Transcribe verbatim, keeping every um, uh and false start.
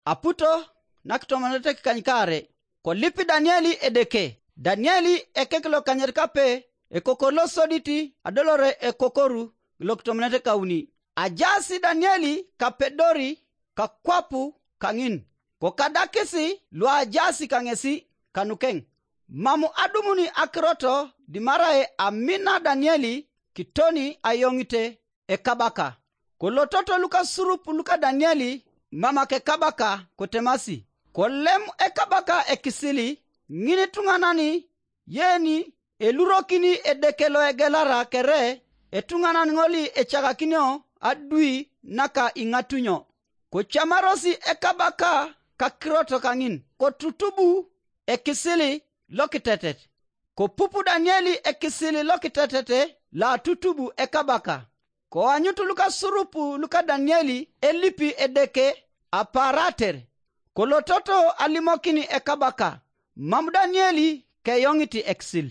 aputo nakitomonete kanyikare ko lipi Danieli edeke. Danieli ekeklo kanyerkape ekokolo soditi adolore ekokoru lokitomonete kauni. Ajasi Danieli kapedori kakwapu kangin ko kadakisi lo ajasi kangesi kanukeng. Mamu adumuni akroto dimarae amina Danieli kitoni ayongite ekabaka. Kolototo luka surupu luka Danieli mama ke kabaka kotemasi. Kolem ekabaka ekisili ngini tunganani yeni elurokini edekelo egelara kere etunganan ngoli echagakinyo adui naka ingatunyo. Kochamarosi ekabaka kakroto kangin kotutubu ekisili lokitetet. Kopupu Danieli ekisili lokitetet la tutubu ekabaka. Ko anyutu luka surupu luka Danieli elipi edeke aparater. Kolototo alimokini ekabaka. Mamu Danieli ke yongiti eksil.